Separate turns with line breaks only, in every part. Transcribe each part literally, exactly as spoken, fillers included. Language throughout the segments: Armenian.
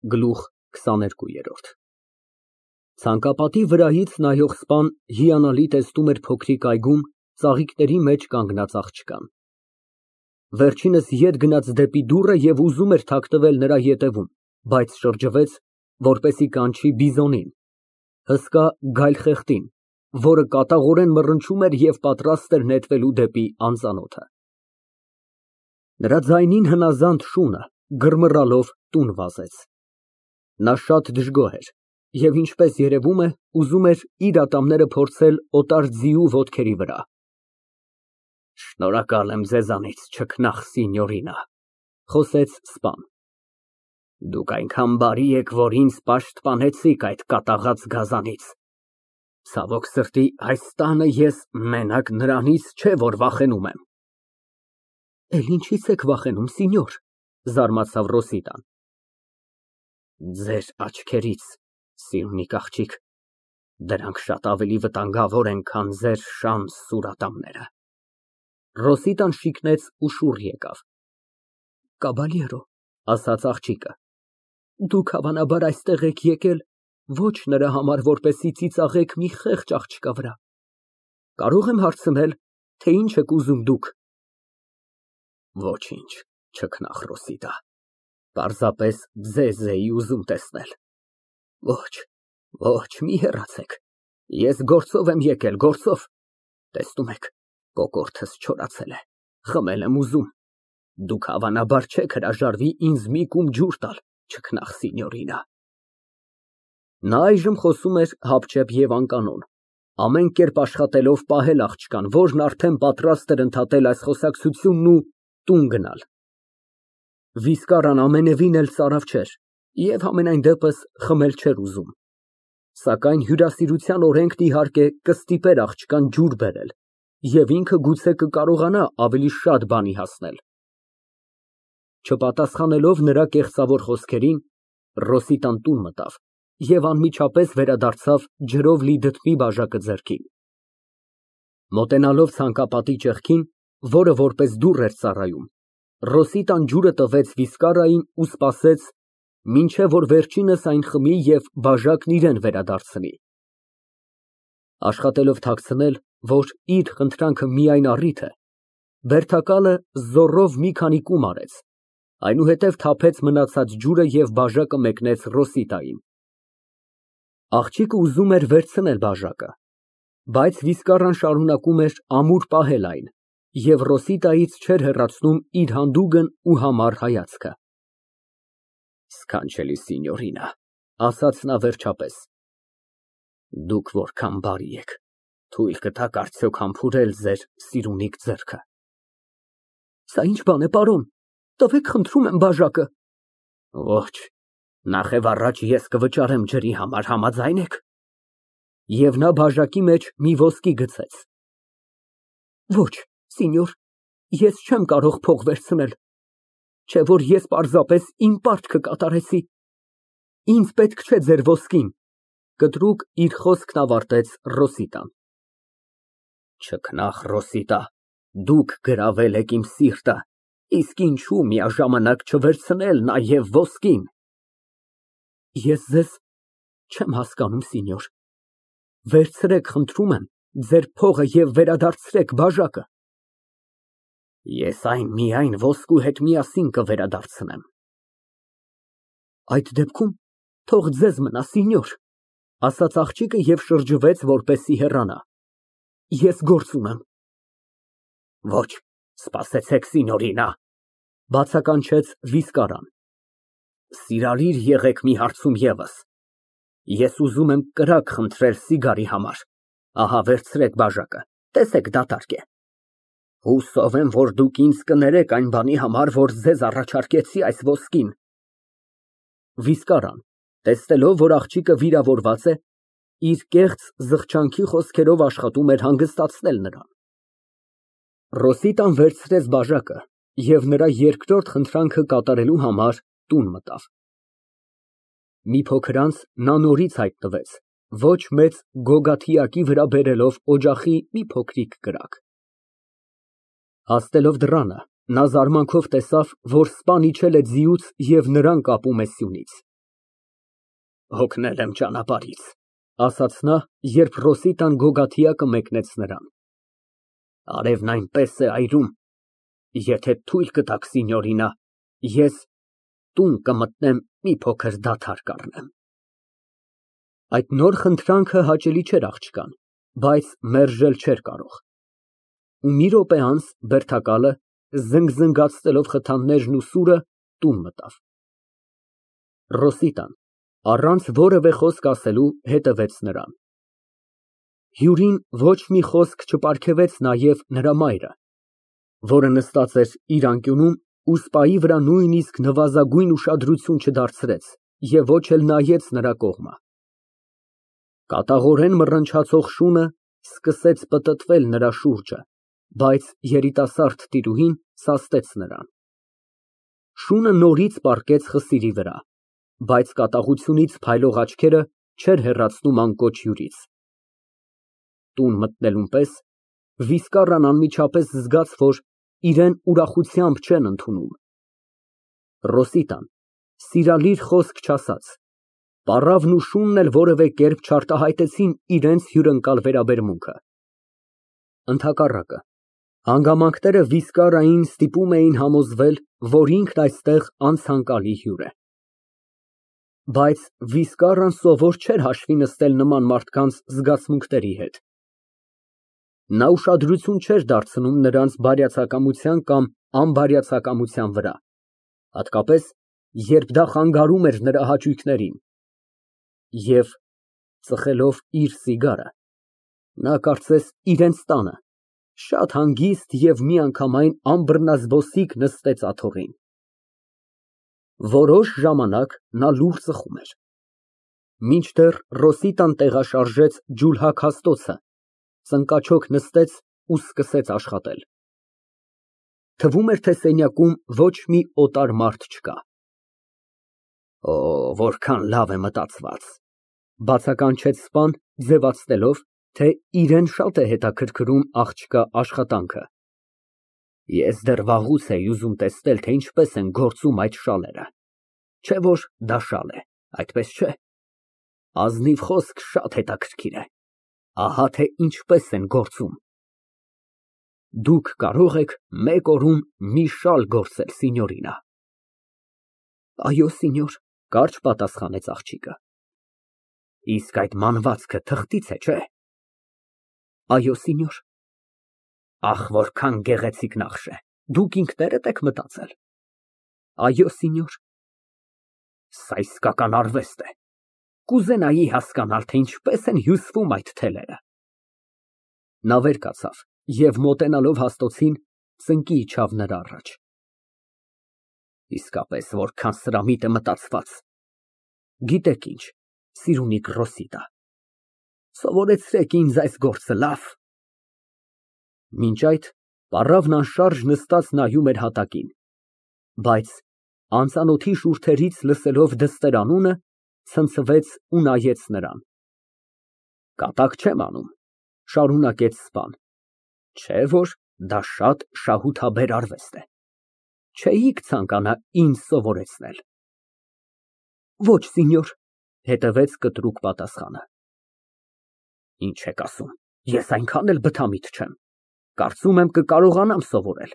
Գլուխ քսաներկու։ Ցանկապատի վրայից նայող սպան հիանալի տեսնում էր փոքրիկ այգում ծաղիկների մեջ կանգնած աղջկան։ Վերջինս ետ գնաց դեպի դուռը և ուզում էր թաքնվել նրա ետևում, բայց շրջվեց, որպեսզի կանչի բիզոնին, հսկա գայլխեղտին, որը կատաղորեն մռնչում էր և պատրաստ էր նետվելու դեպի անծանոթը։ Նրա ձայնին հնազանդ շունը գրմռալով տուն վազեց։ Նա շատ դժգոհ էր և, ինչպես երևում է, ուզում էր իր ատամները փորձել օտար ձիու ոտքերի վրա։ Շնորհակալ եմ ձեզանից, չքնաղ սինյորինա, խոսեց սպան։ Դուք այնքան բարի եք, որ ինձ պաշտպանեցիք այդ կատաղած գազանից։ Ցավոք սրտի, այս տանը ես մենակ նրանից չէ, որ վախենում եմ։ Էլ ինչի՞ց եք վախենում, սինյոր, զարմացավ Ռոսիտան։ Ձեր աչքերից, սիրունիկ աղջիկ, դրանք շատ ավելի վտանգավոր են, քան ձեր շան սուր ատամները։ Ռոսիտան շիկնեց ու շուռ եկավ։ Կաբալյերո, ասաց աղջիկը, դուք հավանաբար այստեղ եք եկել ոչ նրա համար, որպեսզի ծիծաղեք մի խեղճ աղջկա վրա։ Կարո՞ղ եմ հարցնել, թե ինչ եք ուզում դուք։ Ոչինչ, չքնաղ Ռոսիտա, պարզապես ձեզ էի ուզում տեսնել։ Ոչ, ոչ, մի հեռացեք, ես գործով եմ եկել, գործով, տեսնում եք, կոկորդս չորացել է, խմել եմ ուզում, դուք հավանաբար չեք հրաժարվի ինձ մի կում ջուր տալ, չքնաղ սինյորինա։ Նա այժմ խոսում էր հապճեպ և անկանոն, ամեն կերպ աշխատելով պահել աղջկան, որն արդեն պատրաստ էր ընդհատել այս խոսակցությունն ու տուն գնալ։ Վիսկարան ամենևին էլ ծարավ չէր և համենայն դեպս խմել չէր ուզում, սակայն հյուրասիրության օրենքն, իհարկե, կստիպեր աղջկան ջուր բերել, և ինքը գուցե կկարողանա ավելի շատ բանի հասնել։ Չպատասխանելով նրա կեղծավոր խոսքերին, Ռոսիտան տուն մտավ և անմիջապես վերադարձավ ջրով լի դդմի բաժակը ձեռքին։ Մոտենալով ցանկապատի ճեղքին, որը որպես դուռ էր ծառայում, Ռոսիտան ջուրը տվեց Վիսկարային ու սպասեց, մինչև որ վերջինս այն խմի և բաժակն իրան վերադարձնի։ Աշխատելով թաքցնել, որ իր խնդրանքը միայն առիթ է, բերդակալը զոռով մի քանի կում արեց, այնուհետև թափեց մնացած ջուրը և բաժակը մեկնեց Ռոսիտային։ Աղջիկը ուզում էր վերցնել բաժակը, բայց Վիսկարան շարունակում էր ամուր պահել այն և Ռոսիտայից չէր հեռացնում իր հանդուգն ու համառ հայացքը։ Սքանչելի սինյորինա, ասաց նա վերջապես, դուք որքան բարի եք, թույլ կտաք արդյոք համբուրել ձեր սիրունիկ ձեռքը։ Սա ի՞նչ բան է, պարոն, տվեք խնդրում եմ բաժակը։ Ոչ, նախև առաջ ես կվճարեմ ջրի համար, համաձայն եք։ Եվ նա բաժակի մեջ մի ոսկի գցեց։ Ոչ, սինյոր, ես չեմ կարող փող վերցնել, չէ որ ես պարզապես իմ պարտքը կատարեցի։ Ինձ պետք չէ ձեր ոսկին, կտրուկ իր խոսքն ավարտեց Ռոսիտան։ Չքնաղ Ռոսիտա, դուք գրավել եք իմ սիրտը, իսկ ինչու միաժամանակ չվերցնել նաև ոսկին։ Ես ձեզ չեմ հասկանում, սինյոր, վերցրեք, խնդրում եմ, ձեր փողը և վերադարձրեք բաժակը։ Ես այն միայն ոսկու հետ միասին կվերադարձնեմ։ Այդ դեպքում թող ձեզ մնա, սինյոր, ասաց աղջիկը և շրջվեց, որպեսզի հեռանա։ Ես գործ ունեմ։ Ոչ, սպասեցեք, սինյորինա, բացականչեց Վիսկարան։ Սիրալիր եղեք մի հարցում ևս։ Ես ուզում եմ կրակ խնդրել սիգարի համար, ահա վերցրեք բաժակը, տեսեք դատարկ է։ Հուսով եմ, որ դուք ինձ կներեք այն բանի համար, որ ձեզ առաջարկեցի այս ոսկին։ Վիսկարան, տեսնելով, որ աղջիկը վիրավորված է, իր կեղծ զղջանքի խոսքերով աշխատում էր հանգստացնել նրան։ Ռոսիտան վերցրեց բաժակը և նրա երկրորդ խնդրանքը կատարելու համար տուն մտավ։ Մի փոքր անց նա նորից հայտնվեց, ոչ մեծ գոգաթիակի վրա բերելով օջախի մի փոքրիկ կրակ։ Հասնելով դռանը, նա զարմանքով տեսավ, որ սպան իջել է ձիուց և նրան կապում է սյունից։ հոգնել եմ ճանապարհից, ասաց նա, երբ Ռոսիտան գոգաթյակը մեկնեց նրան։ Արևն այնպես է այրում, եթե թույլ կտաք, սինյորինա, ես տուն կմտնեմ մի փոքր դադար կառնեմ։ Այդ նոր խնդրանքը հաճելի չէր աղջկան, բայց մերժել չէր կարող։ Ու մի րոպե անց բերդակալը, զնգզնգացնելով խթաններն ու սուրը, տուն մտավ։ Ռոսիտան, առանց որևէ խոսք ասելու, հետևեց նրան։ Հյուրին ոչ մի խոսք չպարգևեց նաև նրա մայրը, որը նստած էր իր անկյունում ու սպայի վրա նույնիսկ նվազագույն ուշադրություն չդարձրեց և ոչ էլ նայեց նրա կողմը։ Կատաղորեն մռնչացող շունը սկսեց պտտվել նրա շուրջը, բայց երիտասարդ տիրուհին սաստեց նրան։ Շունը նորից պառկեց խսիրի վրա, բայց կատաղությունից փայլող աչքերը չէր հեռացնում անկոչ հյուրից։ Տուն մտնելուն պես Վիսկարան անմիջապես զգաց, որ իրան ուրախությամբ չեն ընդունում։ Ռոսիտան սիրալիր խոսք չասաց, պառավն ու շունն էլ որևէ կերպ չարտահայտեցին իրենց հյուրընկալ վերաբերմունքը։ Ընդհակառակը, հանգամանքները Վիսկարային ստիպում էին համոզվել, որ ինքն այստեղ անցանկալի հյուր է։ Բայց Վիսկարան սովոր չէր հաշվի նստել նման մարդկանց զգացմունքների հետ։ Նա ուշադրություն չէր դարձնում նրանց բարյացակամության կամ անբարյացակամության վրա, հատկապես, երբ դա խանգարում էր նրա հաճույքներին, և, ծխելով իր սիգարը, նա կարծես իրենց տանը, շատ հանգիստ և միանգամայն անբռնազբոսիկ նստեց աթոռին։ Որոշ ժամանակ նա լուռ ծխում էր, մինչդեռ Ռոսիտան տեղաշարժեց ջուլհակ հաստոցը, ծնկաչոք նստեց ու սկսեց աշխատել։ Թվում էր, թե սենյակում ոչ մի օտար մարդ չկա։ Օ, որքան լավ է մտածված, բացականչեց սպան, ձևացնելով, թե իրան շատ է հետաքրքրում աղջկա աշխատանքը։ Ես դեռ վաղուց էի ուզում տեսնել, թե ինչպես են գործում այդ շալերը, չէ՞ որ դա շալ է, այդպես չէ։ Ազնիվ խոսք շատ հետաքրքիր է, ահա թե ինչպես են գործում։ Դուք կարող եք մեկ օրում մի շալ գործել, սինյորինա։ Այո, սինյոր, կարճ պատասխանեց աղջիկը։ Իսկ այդ մանվածքը թղթից է, չէ՞։ Այո, սինյոր։ Ախ, որքան գեղեցիկ նախշ է, դուք ինքներդ եք մտածել։ Այո, սինյոր։ Սա իսկական արվեստ է, կուզենայի հասկանալ, թե ինչպես են հյուսվում այդ թելերը։ Նա վեր կացավ և մոտենալով հաստոցին, ծնկի իջավ նրա առաջ։ Իսկապես որքան սրամիտ է մտածված։ Գիտեք ինչ, սիրունիկ Ռոսիտա, սովորեցրեք ինձ այս գործը, լավ։ Մինչ այդ պառավն անշարժ նստած նայում էր հատակին, բայց անծանոթի շուրթերից լսելով դստեր անունը, ցնցվեց ու նայեց նրան։ Կատակ չեմ անում, շարունակեց սպան, չէ՞ որ դա շատ շահութաբեր արվեստ է, չէիք ցանկանա ինձ սովորեցնել։ Ոչ, սինյոր, հետևեց կտրուկ պատասխանը։ Ինչ եք ասում, ես այնքան էլ բթամիտ չեմ, կարծում եմ կկարողանամ սովորել։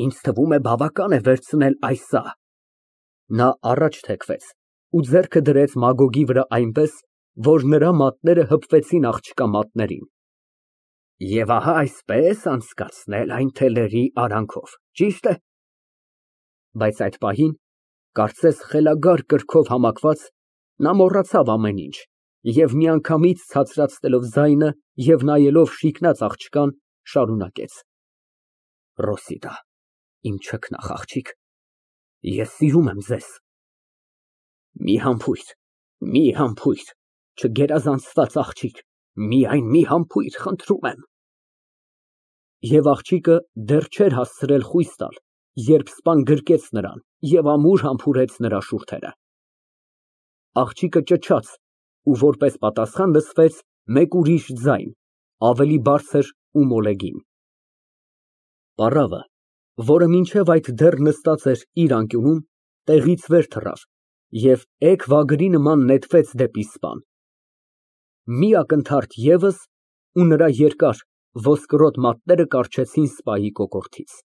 Ինձ թվում է բավական է վերցնել այս սա։ Նա առաջ թեքվեց ու ձեռքը դրեց մագոգի վրա այնպես, որ նրա մատները հպվեցին աղջկա մատներին։ Եվ ահա այսպես անցկացնել այն թելերի արանքով, ճի՞շտ է։ Բայց այդ պահին, կարծես խելագար կրքով համակված, նա մոռացավ ամեն ինչ և միանգամից ցածրացնելով ձայնը և նայելով շիկնած աղջկան, շարունակեց. Ռոսիտա, իմ չքնաղ աղջիկ, ես սիրում եմ ձեզ։ Մի համբույր, մի համբույր, չգերազանցված աղջիկ, միայն մի համբույր, խնդրում եմ։ Եվ աղջիկը դեռ չէր հասցրել խույս տալ, երբ սպան գրկեց նրան և ամուր համբուրեց նրա շուրթերը։ Աղջիկը ճչաց, ու որպես պատասխան լսվեց մեկ ուրիշ ձայն, ավելի բարձր ու մոլեգին։ Պառավը, որը մինչև այդ դեռ նստած էր իր անկյունում, տեղից վեր թռավ Եվ էգ վագրի նման նետվեց դեպի սպան։ Մի ակնթարթ ևս, ու նրա երկար ոսկրոտ մատները կառչեցին սպայի կոկորդից։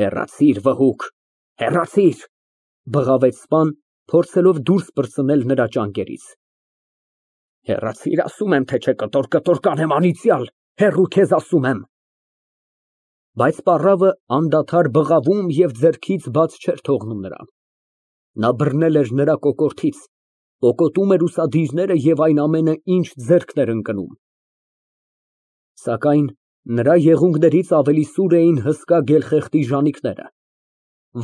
Հեռացիր, վհուկ, հեռացիր, բղավեց սպան, փորձելով դուրս պրծնել նրա ճանկերից։ Հեռացիր, ասում եմ, թե չէ կտոր֊կտոր կանեմ անիծյալ, հեռու քեզ ասում եմ։ Բայց պառավը անդադար բղավում և ձեռքից բաց չէր թողնում նրան։ Նա բռնել էր նրա կոկորդից, պոկոտում էր ուսադիրները և այն ամենը, ինչ ձեռքն էր ընկնում։ Սակայն նրա եղունգներից ավելի սուր էին հսկա գելխեղտի ժանիքները,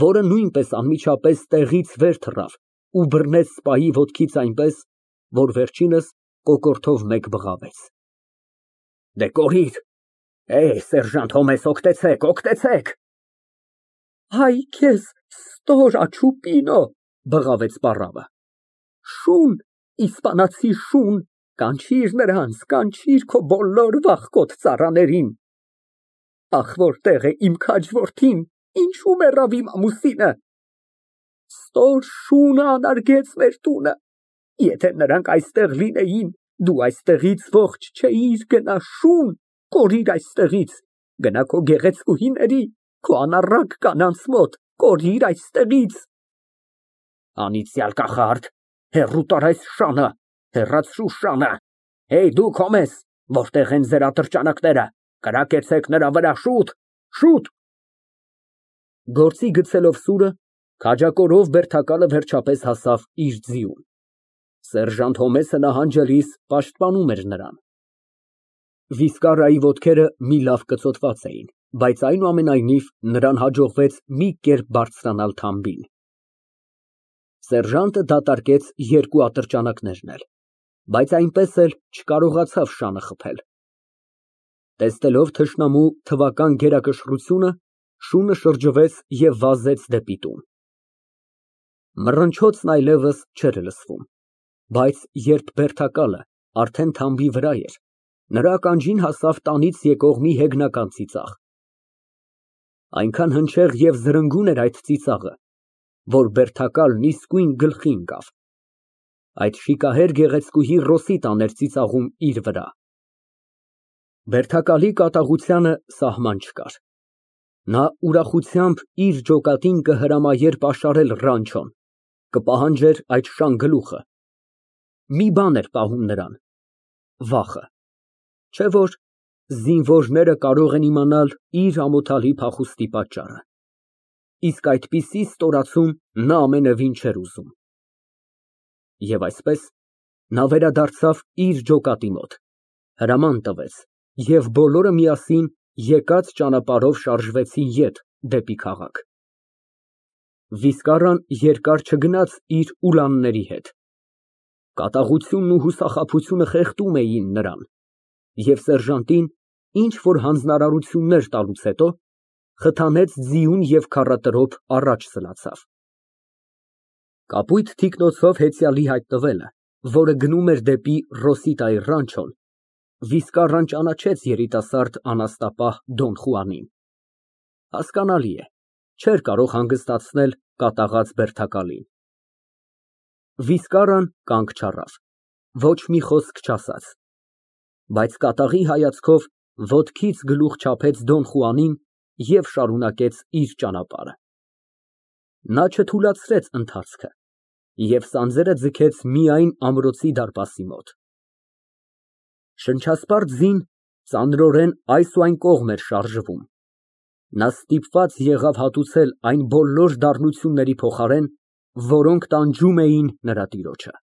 որը նույնպես անմիջապես տեղից վեր թռավ ու բռնեց սպայի ոտքից այնպես, որ վերջինս կոկորդով մեկ բղավեց։ Դե կորիր, սերժանտ Հոմես, օգտեցեք, օգտեցեք։ Հայ քեզ, ստոր աչուպինո, բղավեց պառավը։ Շուն, իսպանացի շուն, կանչիր նրանց, կանչիր քո բոլոր վախկոտ ծառաներին։ Ախ, որտեղ է իմ քաջ որդին, ինչու մեռավ իմ ամուսինը։ Ստոր շունը անարգեց մեր տունը, եթե նրանք այստեղ լինեին, դու այստեղից ողջ չէիր գնա, շուն, կորիր այստեղից, գնա քո գեղեցկուհիների, քո անառակ կանանց մոտ, կորիր այստեղից։ Անիծյալ կախարդ, հեռու տար այս շանը, հեռացրու շանը, հեյ դուք Հոմես, որտեղ են ձեր ատրճանակները, կրակեցեք նրա վրա, շուտ, շուտ։ Գործի գցելով սուրը, քաջակորով բերդակալը վերջապես հասավ իր ձիուն։ Սերժանտ Հոմեսը նահանջելիս պաշտպանում էր նրան։ Վիսկարիայի ոտքերը մի լավ կծոտված էին, բայց այնուամենայնիվ նրան հաջողվեց մի կերպ բարձրանալ թամբին։ Սերժանտը դատարկեց երկու ատրճանակներն էլ, բայց այնպես էլ չկարողացավ շանը խփել։ Տեսնելով թշնամու թվական գերակշռությունը, շունը շրջվեց և վազեց դեպի տուն։ Մռնչոցն այլևս չէր լսվում, բայց երբ բերդակալը արդեն թամբի վրա էր, նրա ականջին հասավ տանից եկող մի հեգնական ծիծաղ։ Այնքան հնչեղ և զրնգուն էր այդ ծիծաղը, որ բերդակալն իսկույն գլխի ընկավ։ Այդ շիկահեր գեղեցկուհի Ռոսիտան էր ծիծաղում իր վրա։ Բերդակալի կատաղությանը սահման չկար։ Նա ուրախությամբ իր ջոկատին կհրամայեր պաշարել Ռանչոն, կպահանջեր այդ շան գլուխը։ Մի բան էր պահում նրան՝ վախը, չէ՞ որ զինվորները կարող են իմանալ իր ամոթալի փախուստի պատճառը։ Իսկ այդպիսի ստորացում նա ամենևին չէր ուզում։ Եվ այսպես, նա վերադարձավ իր ջոկատի մոտ, հրաման տվեց, և բոլորը միասին եկած ճանապարհով շարժվեցին ետ դեպի քաղաք։ Վիսկարան երկար չգնաց իր ուլանների հետ։ Կատաղությունն ու հուսախաբությունը խեղդում էին նրան, և սերժանտին, ինչ որ հանձնարարություններ տալուց հետո, խթանեց ձիուն և քառատրոփ առաջ սլացավ։ Կապույտ թիկնոցով հեծյալի հայտնվելը, որը գնում էր դեպի Ռոսիտայի Ռանչոն, Վիսկարան ճանաչեց երիտասարդ անաստապահ Դոն Խուանին։ Հասկանալի է, չէր կարող հանգստացնել կատաղած բերդակալին։ Վիսկարան կանգ չառավ, ոչ մի խոսք չասաց, բայց կատաղի հայացքով ոտքից գլուխ չափեց Դոն Խուանին և շարունակեց իր ճանապարհը։ Նա չթուլացրեց ընթացքը և սանձերը ձգեց միայն ամրոցի դարպասի մոտ։ Շնչասպառ ձին ծանրորեն այս ու այն կողմ էր շարժվում։ Նա ստիպված եղավ հատուցել այն բոլոր դառնությունների փոխարեն, որոնք տանջում էին նրա տիրոջը։